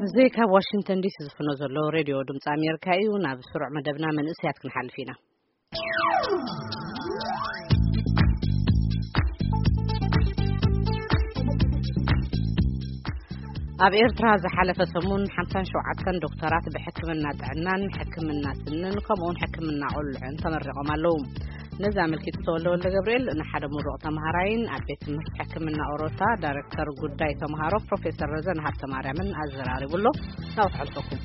እዚ ካብ ዋሽንግተን ዲሲ ዝፍኖ ዘሎ ሬድዮ ድምፂ ኣሜሪካ እዩ። ናብ ስሩዕ መደብና መንእሰያት ክንሓልፍ ኢና። ኣብ ኤርትራ ዝሓለፈ ሰሙን ሓምሳን ሸውዓተን ዶክተራት ብሕክምና ጥዕናን ሕክምና ስንን ከምኡውን ሕክምና ቆልዑን ተመሪቖም ኣለዉ። ነዚ ኣመልኪቱ ተወልደ ወልደ ገብርኤል ንሓደ ምሩቕ ተምሃራይን ኣብ ቤት ትምህርቲ ሕክምና ኦሮታ ዳይሬክተር ጉዳይ ተምሃሮ ፕሮፌሰር ረዘን ሃብተ ማርያምን ኣዘራሪቡ ኣሎ። ናብ ክሕልፈኩም።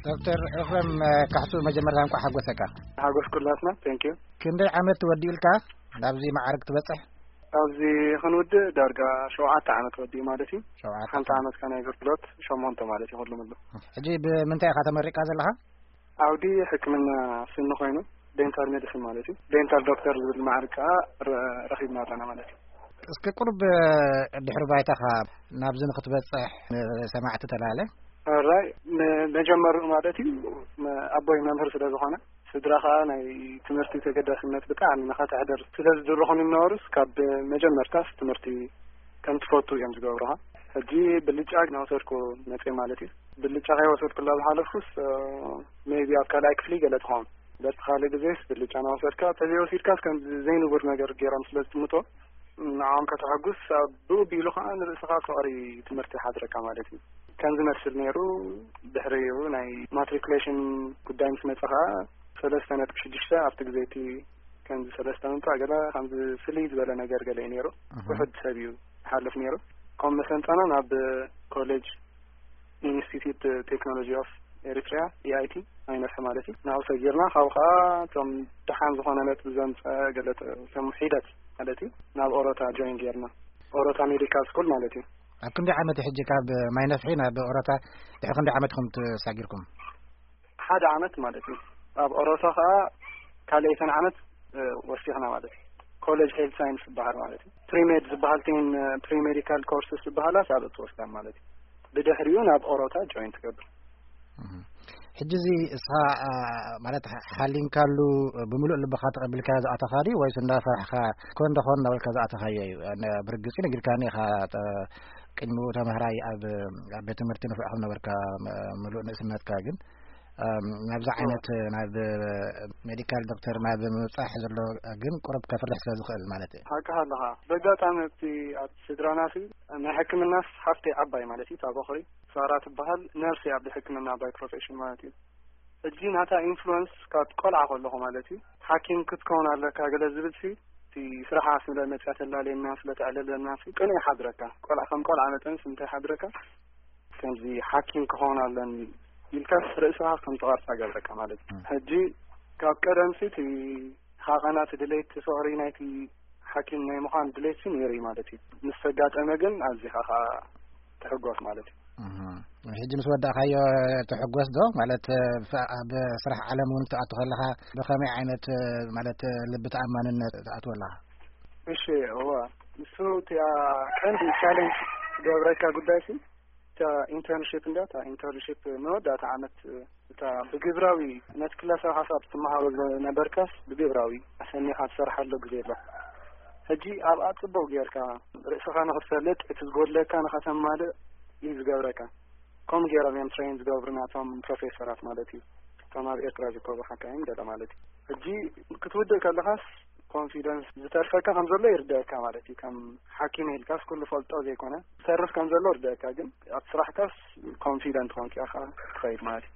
ዶክተር ኤፍረም ካሕሱ፣ መጀመርታ እንኳዕ ሓጎሰካ። ሓጎስ ኩላትና። Thank you። ክንደይ ዓመት ወዲእልካ ናብዚ መዓርግ ትበጽሕ? ኣብዚ ክንውድእ ዳርጋ ሸውዓተ ዓመት ወዲኡ ማለት እዩ። ሸውዓተ ሓንቲ ዓመት። ዓመት ከነ ኣገልግሎት ሸሞንተ ማለት እዩ። ኩሉ ምሉ። ሕጂ ብምንታይ ኢኻ ተመሪቕካ ዘለኻ? ዓውዲ ሕክምና ስኒ ኮይኑ፣ ዴንታል ሜዲሲን ማለት እዩ። ዴንታል ዶክተር ዝብል ማዕርግ ከዓ ረ- ረኺብና ኣለና ማለት እዩ። እስኪ ቁርብ ድሕሪ ባይታኻ ናብዚ ንክትበጽሕ ንሰማዕቲ ተላለ። ራይ መጀመርኡ ማለት እዩ፣ መ- ኣቦይ መምህር ስለ ዝኾነ፣ ስድራ ከዓ ናይ ትምህርቲ ተገዳስነት ብጣዕሚ ንኸተሕደር ስለ ዝድርኹን ይነበሩስ፣ ካብ መጀመርታስ ትምህርቲ ከም ትፈቱ እዮም ዝገብሩኻ። ሕጂ ብልጫ ናወሰድኩ መፅእ ማለት እዩ። ብልጫ ከይወሰድኩላ ዝሓለፉስ ሜቢ ኣብ ካልኣይ ክፍሊ ገለ ትኸውን። በቲ ካልእ ግዜስ ብልጫ ናወሰድካ፣ ተዘይወሲድካስ ከም ዘይንቡር ነገር ገይሮም ስለ ዝጥምቶ፣ ንዓኦም ከተሐጉስ፣ ኣብ ብኡ ቢሉ ከዓ ንርእስኻ ፍቕሪ ትምህርቲ ሓድረካ ማለት እዩ። ከም ዝመስል ነይሩ። ድሕሪኡ ናይ ማትሪኩሌሽን ጉዳይ ምስ መጸ ከዓ ሰለስተ ነጥቢ ሽዱሽተ ኣብቲ ግዜ እቲ ከምዚ ሰለስተ ምምጻእ ገለ ከምዚ ፍልይ ዝበለ ነገር ገለ እዩ ነይሩ። እህ። ውሑድ ሰብ እዩ ዝሓልፍ ነይሩ። ከም መሰንጠና ናብ ኮሌጅ ኢንስቲትዩት ቴክኖሎጂ ኦፍ ኤሪትሪያ፣ ኢኣይቲ፣ ማይነፍሒ ማለት እዩ። ናብኡ ሰጊርና፣ ካብኡ ከዓ እቶም ደሓን ዝኾነ ነጥቢ ዘምፀ ገለ ተ- ከም ሒደት ማለት እዩ፣ ናብ ኦሮታ ጆይን ጌርና። ኦሮታ ሜዲካል ስኩል ማለት እዩ። ኣብ ክንደይ ዓመት ሕጂ ካብ ማይነፍሒ ናብ ኦሮታ ድሕሪ ክንደይ ዓመት ኢኹም ተሳጊርኩም? ሓደ ዓመት ማለት እዩ። ኣብ ኦሮታ ከዓ ካልኣይተን ዓመት ወሲኽና ማለት እዩ። ኮሌጅ ሄልት ሳይንስ ዝበሃል ማለት እዩ። ፕሪሜድ ዝበሃል ቲን ፕሪሜዲካል ኮርስስ ዝበሃላ ሳብ እትወስዳን ማለት እዩ። ብድሕሪኡ ናብ ኦሮታ ጆይን ትገብር። እህ። ሕጂ እዚ እስኻ ማለት ሓሊንካሉ ብምሉእ ልብኻ ተቐቢልካ ዝኣተኻ ድዩ ወይስ እንዳፈራሕካ ኮን ደኾን እንዳበልካ ዝኣተኻዮ እዩ? ብርግፂ ነጊርካኒ ኢኻ። ቅድሚኡ ተምሃራይ ኣብ ኣብ ቤት ትምህርቲ ንፍዕ ከም ነበርካ ምሉእ ንእስነትካ ግን ናብዚ ዓይነት ናብ ሜዲካል ዶክተር ናብ ምብፃሕ ዘሎ ግን ቁሩብ ከፍርሕ ስለ ዝኽእል ማለት እዩ። ሓቅኻ ኣለኻ። በጋጣሚ ኣብቲ ኣብ ስድራና ሲ ናይ ሕክምናስ ሓፍተይ ዓባይ ማለት እዩ፣ እታ በኹሪ ሳራ ትበሃል፣ ነርሲ ኣብ ሕክምና ባይ ፕሮፌሽን ማለት እዩ። ሕጂ ናታ ኢንፍሉወንስ ካብ ቆልዓ ከለኹ ማለት እዩ፣ ሓኪም ክትከውን ኣለካ ገለ ዝብል ሲ እቲ ስራሓ ስለ መፅያ ተላለየና ስለ ተዕለለና ሲ ቅኑዕ ይሓድረካ። ቆልዓ ከም ቆልዓ መጠን ሲ እንታይ ሓድረካ? ከምዚ ሓኪም ክኸውን ኣለኒ ኢልካስ ርእስኻ ከም ትቐርጻ ገብረካ ማለት እዩ። ሕጂ ካብ ቀደምሲ እቲ ሃቐና እቲ ድሌት ፍቕሪ ናይቲ ሓኪም ናይ ምዃን ድሌትሲ ነይሩ እዩ ማለት እዩ። ምስ ተጋጠመ ግን ኣዚኻ ኸኣ ትሕጎስ ማለት እዩ። ሕጂ ምስ ወዳእካዮ ትሕጎስ ዶ ማለት ኣብ ስራሕ ዓለም እውን ክትኣቱ ከለኻ ብኸመይ ዓይነት ማለት ልቢ ተኣማንነት ትኣትወ ኣለኻ? እሺ እዋ ንሱ እቲኣ ቀንዲ ቻለንጅ ትገብረካ ጉዳይ ሲ እታ ኢንተርንሽፕ እንዳ እታ ኢንተርንሽፕ መወዳእታ ዓመት እታ ብግብራዊ ነቲ ክላሳዊ ሓሳብ ትመሃሮ ዝነበርካስ ብግብራዊ ኣሰኒኻ ትሰርሓሉ ግዜ ኣሎ። ሕጂ ኣብኣ ጽቡቕ ጌርካ ርእስኻ ንኽትፈልጥ እቲ ዝጎድለካ ንኸተማልእ እዩ ዝገብረካ። ከምኡ ገይሮም እዮም ትሬን ዝገብሩ ናቶም ፕሮፌሰራት ማለት እዩ። እቶም ኣብ ኤርትራ ዝርከቡ ሓካይም ገለ ማለት እዩ። ሕጂ ክትውድእ ከለኻስ ኮንፊደንስ ዝተርፈካ ከም ዘሎ ይርዳእካ ማለት እዩ። ከም ሓኪም ኢልካስ ኩሉ ፈልጦ ዘይኮነ ዝተርፍ ከም ዘሎ ይርዳእካ፣ ግን ኣብ ስራሕካስ ኮንፊደንት ኮንካ ኢኻ ትኸይድ ማለት እዩ።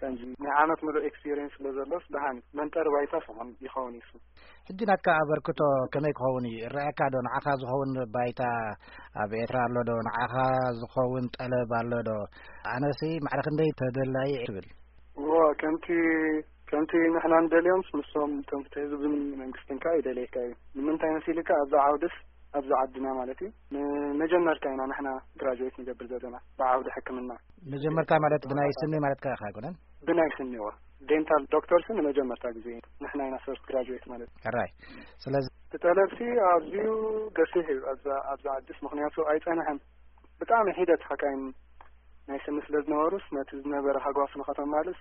ከምዚ ናይ ዓመት ምሉእ ኤክስፒሪየንስ ስለ ዘሎስ ደሓን እዩ። መንጠሪ ባይታ ስኹም ይኸውን እዩ። ሕጂ ናትካ ኣበርክቶ ከመይ ክኸውን እዩ ይረኣየካ ዶ? ንዓኻ ዝኸውን ባይታ ኣብ ኤርትራ ኣሎ ዶ? ንዓኻ ዝኸውን ጠለብ ኣሎ ዶ? ኣነሲ ማዕረ ክንደይ ተደላዪ ትብል? እዎ ከምቲ ከምቲ ንሕና ንደልዮምስ ንሶም እቶም ፍትሒ ዝብሉን መንግስትን ከኣ ይደልየካ እዩ። ንምንታይ መሲልካ ኣብዛ ዓውድስ ኣብዛ ዓድና ማለት እዩ ንመጀመርታ ኢና ንሕና ግራጁዌት ንገብር ዘለና ብዓውዲ ሕክምና። መጀመርታ ማለት ብናይ ስኒ ማለትካ ኢኻ ኣይኮነን? ብናይ ስኒ እዋ ዴንታል ዶክተርስ ንመጀመርታ ግዜ ንሕና ኢና ፈርስት ግራጁዌት ማለት እዩ። ሕራይ። ስለዚ እቲ ጠለብሲ ኣዝዩ ገፊሕ እዩ ኣብዛ ኣብዛ ዓድስ ምኽንያቱ ኣይጸንሐን። ብጣዕሚ ሒደት ሓካይም ናይ ስኒ ስለ ዝነበሩስ ነቲ ዝነበረ ሃጓፍ ንኸተማልስ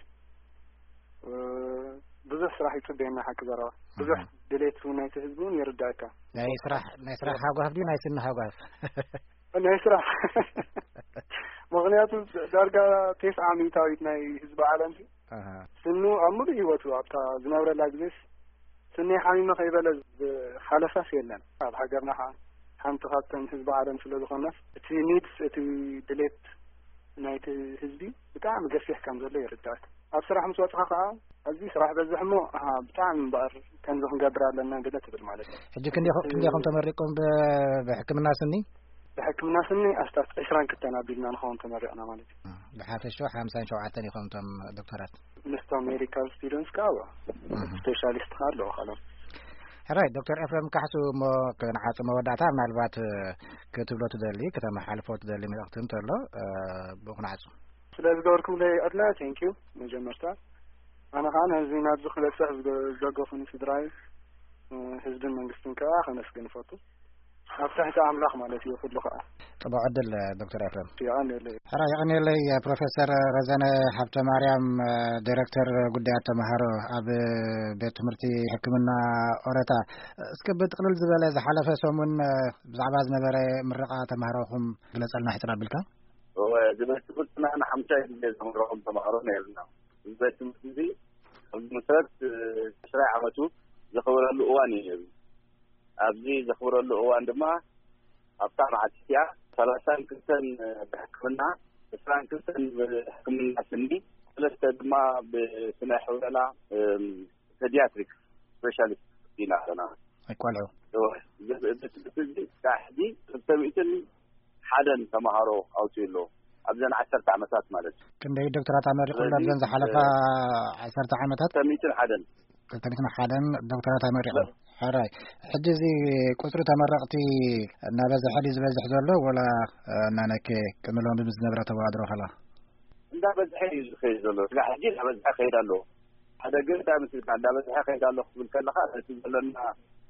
ብዙሕ ስራሕ ይጽበየና ሓቂ ዘረባ። ብዙሕ ድሌት እውን ናይቲ ህዝቢ እውን ይርዳእ። በቃ። ናይ ስራሕ፣ ናይ ስራሕ ሃጓፍ ድዩ ናይ ስኒ ሃጓፍ? ናይ ስራሕ። ምኽንያቱ ዳርጋ ተስዓ ሚእታዊት ናይ ህዝቢ ዓለም ኣሃ። ስኑ ኣብ ሙሉእ ህይወቱ ኣብታ ዝነብረላ ግዜስ ስኒ ሓሚመ ከይበለ ዝሓለፋስ የለን። ኣብ ሃገርና ኸዓ ሓንቲ ካብተን ህዝቢ ዓለም ስለ ዝኾናስ እቲ ኒድስ፣ እቲ ድሌት ናይቲ ህዝቢ ብጣዕሚ ገፊሕ ከም ዘሎ ይርዳእካ። ኣብ ስራሕ ምስ ወጽኻ ኸዓ ኣብዚ ስራሕ በዝሕ እሞ፣ ኣሃ፣ ብጣዕሚ እምበኣር ከምዚ ክንገብር ኣለና ገለ ትብል ማለት እዩ። ሕጂ ክንደይ ኢኹ-፣ ክንደይ ኢኹም ተመሪቕኩም ብ-፣ ብሕክምና ስኒ? ብሕክምና ስኒ ኣስታት ዕስራን ክልተን ኣቢልና ንኸውን ተመሪቕና ማለት እዩ። ብሓፈሽኡ ሓምሳን ሸውዓተን ኢኹም እቶም ዶክተራት? ምስቶም ሜዲካል ስቱደንትስ ከኣ፣ እህ። ስፔሻሊስት ከኣ ኣለዉ ካልኦት። ሕራይ፣ ዶክተር ኤፍሬም ካሕሱ፣ እሞ ክንዓጽ መወዳእታ ምናልባት ክትብሎ ትደሊ፣ ከተመሓልፎ ትደሊ መልእኽቲ እንተሎ፣ እ፣ ብኡ ክንዓጹ። ስለ ዝገበርኩምለይ ኣድላ፣ ቴንክ ዩ። መጀመርታ ኣነ ከኣ ነዚ ናብዚ ክበጽሕ ዝገ-፣ ዝደገፉኒ ስድራይ፣ እ፣ ህዝብን መንግስትን ከኣ ከመስግን እፈቱ። ኣብ ትሕቲ ኣምላኽ ማለት እዩ ኩሉ ከኣ። ጽቡቕ ዕድል ዶክተር ኤፍሬም። የቐንየለይ። ሕራይ የቐንየለይ። ፕሮፌሰር ረዘነ ሃብተ ማርያም፣ ዲሬክተር ጉዳያት ተምሃሮ ኣብ ቤት ትምህርቲ ሕክምና ኦረታ፣ እስከ ብጥቕልል ዝበለ ዝሓለፈ ሰሙን ብዛዕባ ዝነበረ ምረቓ ተምሃሮኹም ግለጸልና ሕጽር ኣቢልካ። እወ፣ እዚ ቤት ትምህርትና ንሓምሻይ ግዜ ዘምረቖም ተምሃሮ ነይርና። እዚ ቤት ትምህርቲ እዚ ኣብ መሰረት፣ እ፣ ዕስራይ ዓመቱ ዘኽብረሉ እዋን እዩ ነይሩ። ኣብዚ ዘኽብረሉ እዋን ድማ ኣብታ መዓልቲ እቲኣ ሰላሳን ክልተን ብሕክምና፣ ዕስራን ክልተን ብሕክምና ስኒ፣ ሰለስተ ድማ ብስነ ሕውለላ፣ እም፣ ፔዲያትሪክ ስፔሻሊስት ኢና ኣለና። ኣይ ቆልዑ። እወ፣ እዚ፣ እዚ ትምህርቲ እዚ ክሳዕ ሕጂ ክልተ ሚእትን ሓደን ተምሃሮ ኣውፅኡ ኣሎ። ኣብዘን ዓሰርተ ዓመታት ማለት እዩ። ክንደይ ዶክተራት ኣመሪቑ ኣሎ ስለዚ፣ ኣብዘን ዝሓለፋ እ፣ ዓሰርተ ዓመታት? ክልተ ሚእትን ሓደን። ክልተ ሚእትን ሓደን ዶክተራት ኣመሪቑ። ለ- ሕራይ። ሕጂ እዚ ቁፅሪ ተመረቕቲ እናበዝሐ ድዩ ዝበዝሕ ዘሎ ወላ፣ እ፣ እናነከየ ቅድሚ ሎሚ ምስ ዝነበረ ተወዳድሮ ከላ? እንዳበዝሐ እዩ ዝኸይድ ዘሎ። ስጋዕ ሕጂ እንዳበዝሐ ይኸይድ ኣሎ። ሓደ ግን እንታይ መስልካ፣ እንዳበዝሐ ይኸይድ ኣሎ ክትብል ከለኻ፣ ነቲ ዘለና፣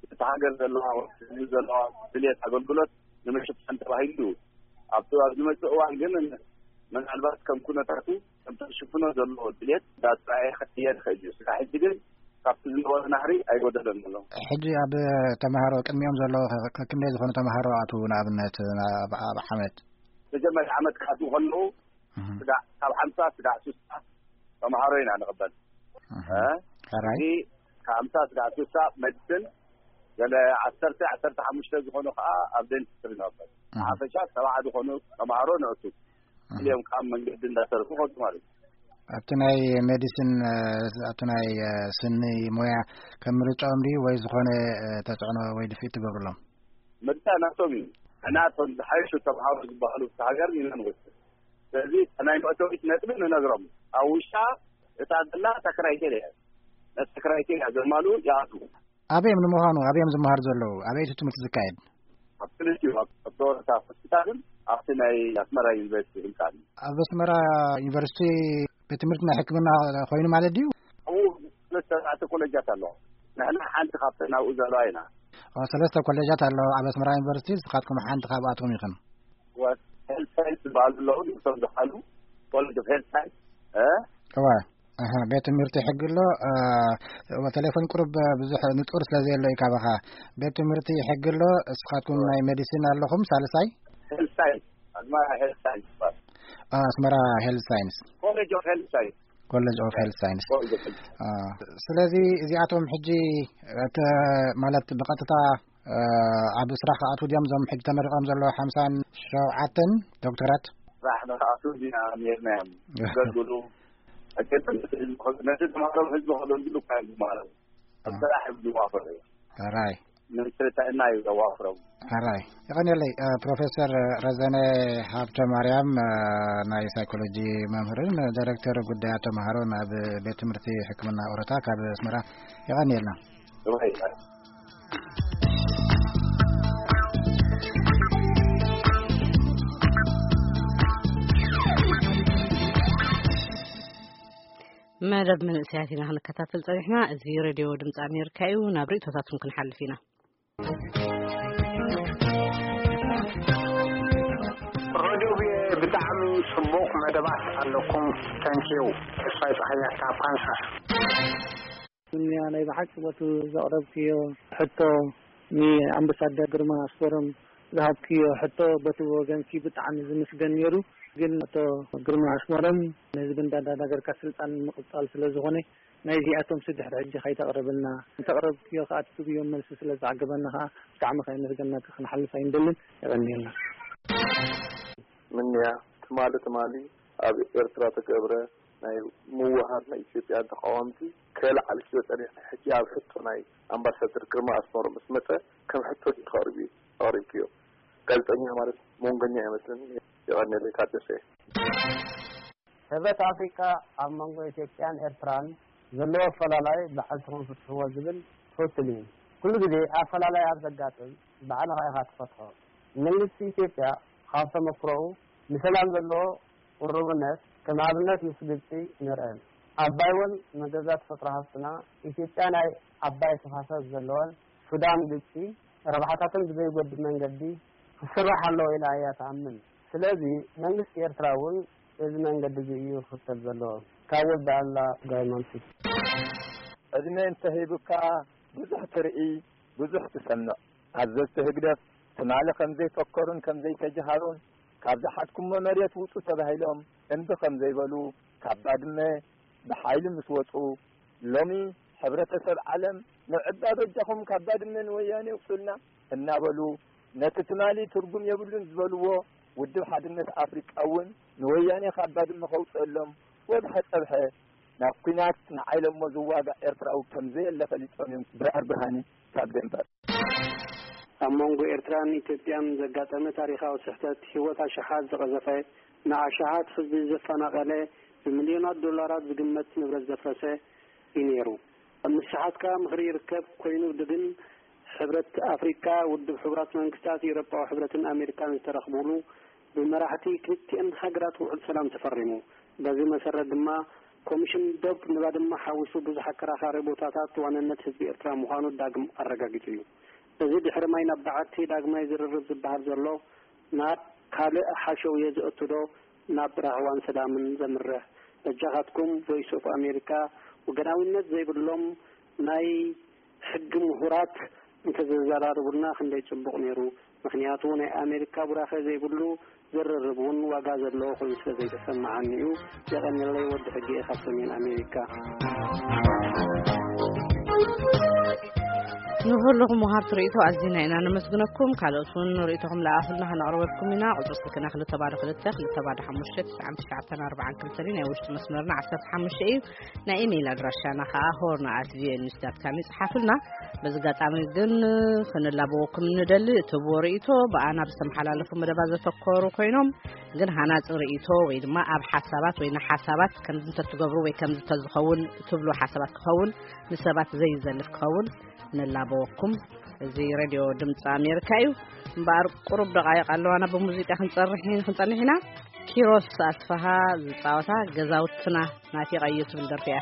እቲ ሃገር ዘለዋ፣ ህዝቢ ዘለዋ ድልየት ኣገልግሎት ንምሽፋን ተባሂሉ፣ ኣብቲ፣ ኣብ ዝመጽእ እዋን ግን ምናልባት ከም ኩነታቱ፣ ከምቲ ዝሽፍኖ ዘለዎ ድልየት እንዳተራእየ ክቕየር ይኽእል እዩ። ስጋዕ ሕጂ ግን ካብቲ ዝነበረ ናህሪ ኣይጎደለን ዘሎ። ሕጂ ኣብ ተምሃሮ ቅድሚኦም ዘለዉ ከ-፣ ከ-፣ ክንደይ ዝኾኑ ተምሃሮ ኣትዉ ንኣብነት ኣብ፣ ኣብ ዓመት? መጀመርያ ዓመት ክኣትዉ ከለዉ እህ። ስጋዕ ካብ ሓምሳ ስጋዕ ስሳ ተምሃሮ ኢና ንቕበል። እህ። እ? ሕራይ። እዚ ካብ ሓምሳ ስጋዕ ስሳ ሜዲሲን፣ ገለ ዓሰርተ፣ ዓሰርተ ሓሙሽተ ዝኾኑ ከኣ ኣብ ዴንቲስትሪ ንቕበል። እህ። ሓፈሻ ሰብዓ ዝኾኑ ተምሃሮ ነእቱ። እህ። ክልኦም ከኣ ኣብ መንገዲ እንዳሰርሑ ከዱ ማለት እዩ። ኣብቲ ናይ ሜዲሲን፣ እ፣ ኣብቲ ናይ፣ እ፣ ስኒ ሞያ ከም ምርጫኦም ድዩ ወይ ዝኾነ፣ እ፣ ተጽዕኖ ወይ ድፍኢት ትገብርሎም? ምርጫ ናቶም እዩ። ንሕና እቶም ዝሓይሹ ተምሃሮ ዝበሃሉ ኣብቲ ሃገር ኢና ንወስድ። ስለዚ እታ ናይ መእተዊት ነጥቢ ንነግሮም። ኣብ ውሽጣ እታ ዘላ እታ ክራይቴርያ እያ። ነቲ ክራይቴርያ ዘማልኡ ይኣትዉ። ኣበይ እዮም ንምዃኑ፣ ኣበይ እዮም ዝመሃሩ ዘለዉ? ኣበይ እቲ ትምህርቲ ዝካየድ? ኣብ ክልቲኡ፣ ኣብ፣ ኣብ ኦረታ ሆስፒታልን ኣብቲ ናይ ኣስመራ ዩኒቨርሲቲ ህንጻን። ኣብ ኣስመራ ዩኒቨርሲቲ ቤት ትምህርቲ ናይ ሕክምና ኮይኑ ማለት ድዩ? ኣብኡ ሰለስተ ኣርባዕተ ኮሌጃት ኣለዋ። ንሕና ሓንቲ ካብተን ኣብኡ ዘለዋ ኢና። ኦ፣ ሰለስተ ኮሌጃት ኣለዋ ኣብ ኣስመራ ዩኒቨርሲቲ፣ ንስኻትኩም ሓንቲ ካብኣቶም ኢኽን። ወ-፣ ሄልት ሳይንስ ዝበሃሉ ኣለዉ፣ ንሶም ዝሓሉ ኮሌጅ ኦፍ ሄልት ሳይንስ፣ እ? እወ። ኣሃ፣ ቤት ትምህርቲ ሕጊ ኣሎ፣ እ፣ እወ፣ ቴሌፎን ቁሩብ ብዙሕ ንጹር ስለ ዘየሎ እዩ ካባኻ። ቤት ትምህርቲ ሕጊ ኣሎ፣ እስኻትኩም ናይ ሜዲሲን ኣለኹም፣ ሳልሳይ? ሄልት ሳይንስ፣ ኣስመራ ሄልት ሳይንስ ይባሃል። አ፣ ኣስመራ ሄልት ሳይንስ። ኮሌጅ ኦፍ ሄልት ሳይንስ። ኮሌጅ ኦፍ ሄልት ሳይንስ። ኮሌጅ ኦፍ ሄልት። አ፣ ስለዚ እዚኣቶም ሕጂ፣ እተ-፣ ማለት ብቐጥታ፣ እ፣ ኣብ ስራሕ ክኣትዉ ድዮም እዞም ሕጂ ተመሪቖም ዘለዉ ሓምሳን ሸውዓተን ዶክተራት? ስራሕ ንኽኣትዉ ዲና ነርና እዮም። ዘገልግሉ፣ ኣገደስቲ ህዝቢ ከ-፣ ነቲ ተምሃሮም ህዝቢ ከገልግሉ እኳ እዮም ዝመሃሩ። ኣብ አ። ስራሕ እዮም ዝዋፈሩ። ሕራይ። ንጥዕና እዩ ዘዋፍሮም። ሕራይ። የቐንየለይ፣ እ፣ ፕሮፌሰር ረዘነ ሃብተ ማርያም፣ እ፣ ናይ ሳይኮሎጂ መምህርን ዳይሬክተር ጉዳያት ተምሃሮን ኣብ ቤት ትምህርቲ ሕክምና ኦረታ ካብ ኣስመራ፣ የቐንየልና። ርዋይ። መደብ መንእሰያት ኢና ክንከታተል ጸኒሕና። እዚ ሬድዮ ድምፂ ኣሜሪካ እዩ። ናብ ርእይቶታትኩም ክንሓልፍ ኢና። ሬድዮ ብጣዕሚ ጽቡቕ መደባት ኣለኩም። ተንኪዩ። ተስፋይ ጸሃያ ካብ ካንሳስ። ዱንያ ናይ ብሓቂ ቦቱ ዘቕረብክዮ ሕቶ ንኣምባሳደር ግርማ ኣስመሮም ዝሃብክዮ ሕቶ በቲ ወገንኪ ብጣዕሚ ዝምስገን ነይሩ። ግን ኣቶ ግርማ ኣስመሮም ንህዝቢ እንዳዳናገርካ ስልጣን ምቕጻል ስለ ዝኾነ ናይዚኣቶም ስድሕሪ ሕጂ ከይተቕርብልና፣ እንተቕረብክዮ ከኣ ትብዮም መልሲ ስለ ዝዓገበና ከኣ ብጣዕሚ ከየመስገናካ ክንሓልፍ ኣይንደልን። የቐንየልና። ምንያ ትማሊ ትማሊ ኣብ ኤርትራ ተገብረ ናይ ምውሃድ ናይ ኢትዮጵያ ተቃወምቲ ከየለዓልክዮ ጸኒሕካ፣ ሕጂ ኣብ ሕቶ ናይ ኣምባሳደር ግርማ ኣስመሮም ምስ መጸ ከም ሕቶ ድዩ ኣቕሪብክዮ? ጋዜጠኛ ማለት መንጎኛ ኣይመስልን። የቐንየለይ። ታደሰ። ሕብረት ኣፍሪቃ ኣብ መንጎ ኢትዮጵያን ኤርትራን ዘለዎ ኣፈላላይ ባዕልትኹም ፍትሕዎ ዝብል ትኽክል እዩ። ኩሉ ግዜ ኣፈላላይ ኣብ ዘጋጥም ባዕልኻ ኢኻ ትፈትሖ። መንግስቲ ኢትዮጵያ ካብ ተመክሮኡ ንሰላም ዘለዎ ቅሩብነት ከም ኣብነት ምስ ግብጺ ንርአ። ኣባይ እውን መገዛ ተፈጥሮ ሃፍትና፣ ኢትዮጵያ ናይ ኣባይ ተፋሰስ ዘለወን፣ ሱዳን ግብጺ ረብሓታተን ብዘይጎድእ መንገዲ ክስራሕ ኣለዎ ኢላ እያ ትኣምን። ስለዚ መንግስቲ ኤርትራ እውን በዚ መንገዲ እዚ እዩ ክኽተል ዘለዎ። ካብ ወዲ ኣላ ጋይማንሲ። ዕድመ እንተሂቡካ ብዙሕ ትርኢ፣ ብዙሕ ትሰምዕ። ኣዘዝቲ ህግደፍ ትማሊ ከም ዘይፈከሩን ከም ዘይተጀሃሩን፣ ካብ ዝሓዝኩሞ መሬት ውጹ ተባሂሎም እምቢ ከም ዘይበሉ፣ ካብ ባድመ ብሓይሊ ምስ ወጹ፣ ሎሚ ሕብረተሰብ ዓለም ንዕባ በጃኹም ካብ ባድመ ንወያኔ ውጹልና እናበሉ፣ ነቲ ትማሊ ትርጉም የብሉን ዝበልዎ ውድብ ሓድነት ኣፍሪቃ እውን ንወያኔ ካብ ባድመ ከውጽእሎም ወግሐ ጸብሐ ናብ ኲናት ንዓይለሞ ዝዋጋእ ኤርትራዊ ከም ዘየለ ፈሊጦም እዮም። ብርሃር ብርሃነ ካብ ደንበር። ኣብ መንጎ ኤርትራን ኢትዮጵያን ዘጋጠመ ታሪኻዊ ስሕተት፣ ህይወት ኣሽሓት ዝቐዘፈ፣ ንኣሽሓት ህዝቢ ዘፈናቐለ፣ ብሚልዮናት ዶላራት ዝግመት ንብረት ዘፍረሰ እዩ ነይሩ። ኣብ ምስሓት ከኣ ምኽሪ ይርከብ ኮይኑ፣ ግን ሕብረት ኣፍሪቃ፣ ውድብ ሕቡራት መንግስታት፣ ኤውሮጳዊ ሕብረትን ኣሜሪካን ዝተረኽቡሉ ብመራሕቲ ክልቲአን ሃገራት ውዕል ሰላም ተፈሪሙ። በዚ መሰረት ድማ ኮሚሽን ዶብ ንባድመ ሓዊሱ ብዙሕ ኣከራኻሪ ቦታታት ዋንነት ህዝቢ ኤርትራ ምዃኑ ዳግም ኣረጋጊጹ እዩ። እዚ ድሕሪ ማይ ናብ በዓቲ ዳግማይ ዝርርብ ዝበሃል ዘሎ ናብ ካልእ ሓሸውየ ዝእቱ ዶ ናብ ራህዋን ሰላምን ዘምርሕ? በጃኻትኩም ቮይስ ኦፍ ኣሜሪካ፣ ወገናዊነት ዘይብሎም ናይ ሕጊ ምሁራት እንተዘዘራርቡልና ክንደይ ጽቡቕ ነይሩ። ምኽንያቱ ናይ ኣሜሪካ ቡራኸ ዘይብሉ ዝርርብ እውን ዋጋ ዘለዎ ኮይኑ ስለ ዘይተሰማዓኒ እዩ። የቐንየለይ። ወዲ ሕጊ እየ ካብ ሰሜን ኣሜሪካ። ንኹልኹም ወሃብቲ ርእይቶ ኣዚና ኢና ነመስግነኩም። ካልኦት እውን ርእይቶኹም ለኣኹልና ከነቕርበልኩም ኢና። ቁጽሪ ስልክና ክልተ ባዶ ክልተ፣ ክልተ ባዶ ሓሙሽተ፣ ትስዓን ትሽዓተን ኣርባዓን ክልተን እዩ። ናይ ውሽጢ መስመርና ዓሰርተ ሓሙሽተ እዩ። ናይ ኢሜይል ኣድራሻና ከኣ ሆርን ኣት ቪኦኤ ኒውስ ዳት ካም እዩ። ጽሓፉልና። በዚ ኣጋጣሚ ግን ክንላበወኩም ንደሊ። እትህብዎ ርእይቶ ብኣና ብዝተመሓላለፉ መደባት ዘተኮሩ ኮይኖም፣ ግን ሃናጺ ርእይቶ ወይ ድማ ኣብ ሓሳባት ወይ ንሓሳባት ከምዚ እንተትገብሩ ወይ ከምዚ እንተዝኸውን ትብሉ ሓሳባት ክኸውን፣ ንሰባት ዘይዘልፍ ክኸውን ንላበወኩም። እዚ ሬድዮ ድምፂ ኣሜሪካ እዩ። እምበኣር ቁሩብ ደቓይቕ ኣለዋና ብሙዚቃ ክንጸርሕ፣ ክንጸንሕ ኢና። ኪሮስ ኣስፍሃ ዝጻወታ ገዛውትና ናፊቐዮ ትብል ደርፊ እያ።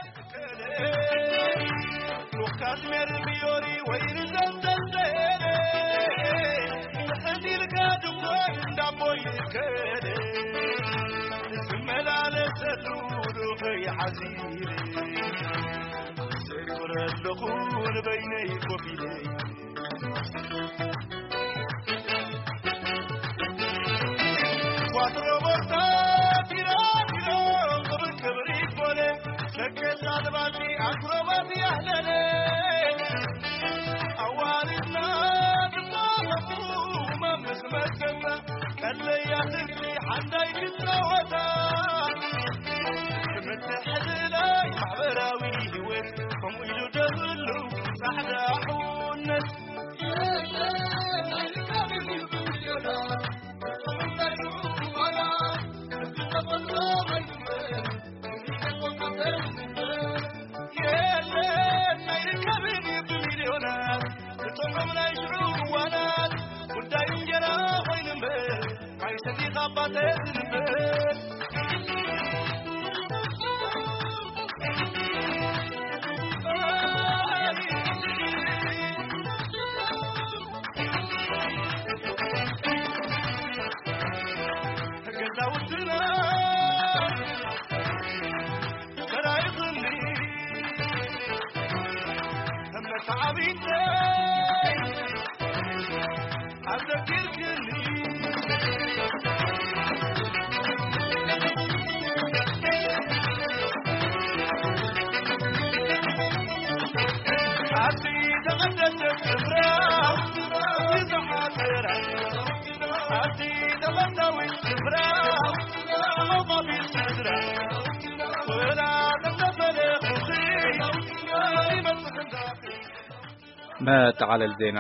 መጠቓለል ዜና።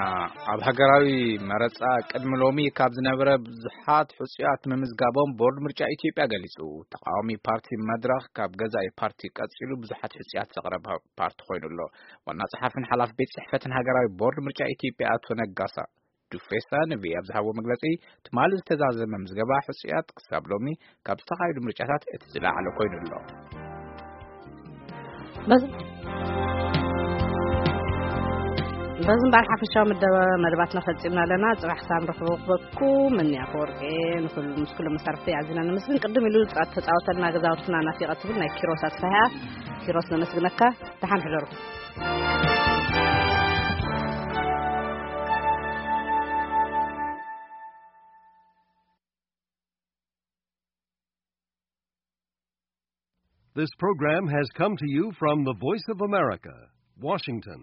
ኣብ ሃገራዊ መረጻ ቅድሚ ሎሚ ካብ ዝነበረ ብዙሓት ሕጹያት ምምዝጋቦም ቦርድ ምርጫ ኢትዮጵያ ገሊጹ። ተቃዋሚ ፓርቲ መድረኽ ካብ ገዛኢ ፓርቲ ቀጺሉ ብዙሓት ሕጹያት ዘቕረበ ፓርቲ ኮይኑ ኣሎ። ዋና ጸሓፊን ሓላፊ ቤት ጽሕፈትን ሃገራዊ ቦርድ ምርጫ ኢትዮጵያ ኣቶ ነጋሳ ዱፌሳ ንቪ ኣብ ዝሃቦ መግለጺ፣ ትማሊ ዝተዛዘመ ምዝገባ ሕጹያት ክሳብ ሎሚ ካብ ዝተኻየዱ ምርጫታት እቲ ዝለዓለ ኮይኑ ኣሎ። በዚ በዚ እምበኣር ሓፈሻዊ መደበ መደባትና ፈጺምና ኣለና። ጽባሕ ክሳብ ንረኽበኩም እኒ ኣፈወርቂ፣ ንኹሉ ምስ ኩሎም መሳርሕቲ ኣዚና ነመስግን። ቅድም ኢሉ ጻ-፣ ተጻወተልና ገዛውትና ናፊቐ ትብል ናይ ኪሮስ ኣስፋህያ። ኪሮስ ነመስግነካ። ደሓን ሕደሩ። This program has come to you from the Voice of America, Washington.